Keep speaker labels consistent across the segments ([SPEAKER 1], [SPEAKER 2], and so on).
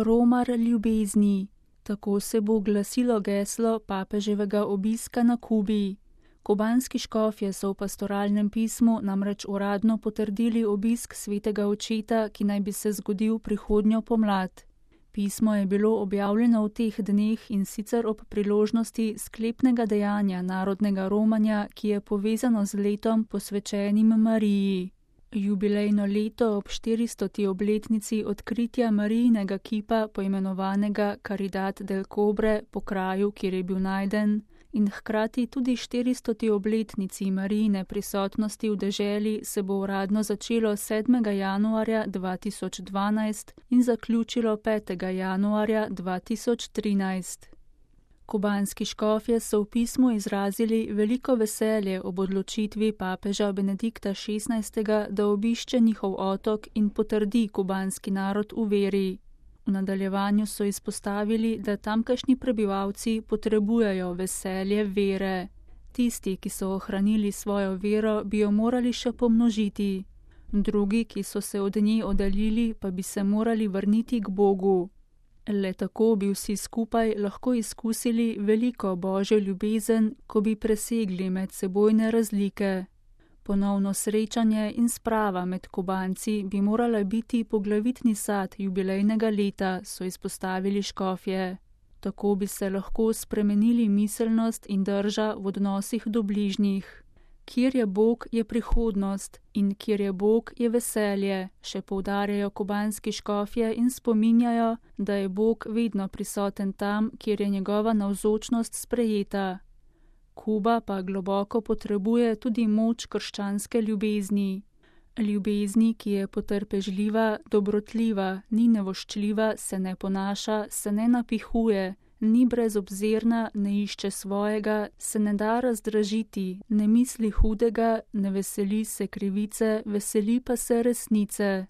[SPEAKER 1] Romar ljubezni. Tako se bo glasilo geslo papeževega obiska na Kubi. Kubanski škofje so v pastoralnem pismu namreč uradno potrdili obisk svetega očeta, ki naj bi se zgodil prihodnjo pomlad. Pismo je bilo objavljeno v teh dneh in sicer ob priložnosti sklepnega dejanja narodnega romanja, ki je povezano z letom posvečenim Mariji. Jubilejno leto ob 400. obletnici odkritja Marijinega kipa, poimenovanega Caridad del Cobre, po kraju, kjer je bil najden, in hkrati tudi 400. obletnici Marijine prisotnosti v deželi se bo uradno začelo 7. januarja 2012 in zaključilo 5. januarja 2013. Kubanski škofje so v pismu izrazili veliko veselje ob odločitvi papeža Benedikta XVI., da obišče njihov otok in potrdi kubanski narod v veri. V nadaljevanju so izpostavili, da tamkajšnji prebivalci potrebujejo veselje vere. Tisti, ki so ohranili svojo vero, bi jo morali še pomnožiti. Drugi, ki so se od nje oddaljili, pa bi se morali vrniti k Bogu. Le tako bi vsi skupaj lahko izkusili veliko božjo ljubezen, ko bi presegli medsebojne razlike. Ponovno srečanje in sprava med Kubanci bi morala biti poglavitni sad jubilejnega leta, so izpostavili škofje. Tako bi se lahko spremenili miselnost in drža v odnosih do bližnjih. Kjer je Bog, je prihodnost in kjer je Bog, je veselje, še poudarjajo kubanski škofje in spominjajo, da je Bog vedno prisoten tam, kjer je njegova navzočnost sprejeta. Kuba pa globoko potrebuje tudi moč krščanske ljubezni. Ljubezni, ki je potrpežljiva, dobrotljiva, ni nevoščljiva, se ne ponaša, se ne napihuje, ni brezobzirna, ne išče svojega, se ne da razdražiti, ne misli hudega, ne veseli se krivice, veseli pa se resnice.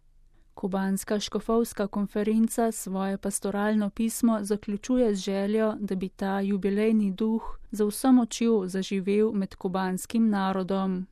[SPEAKER 1] Kubanska škofovska konferenca svoje pastoralno pismo zaključuje z željo, da bi ta jubilejni duh z vso močjo zaživel med kubanskim narodom.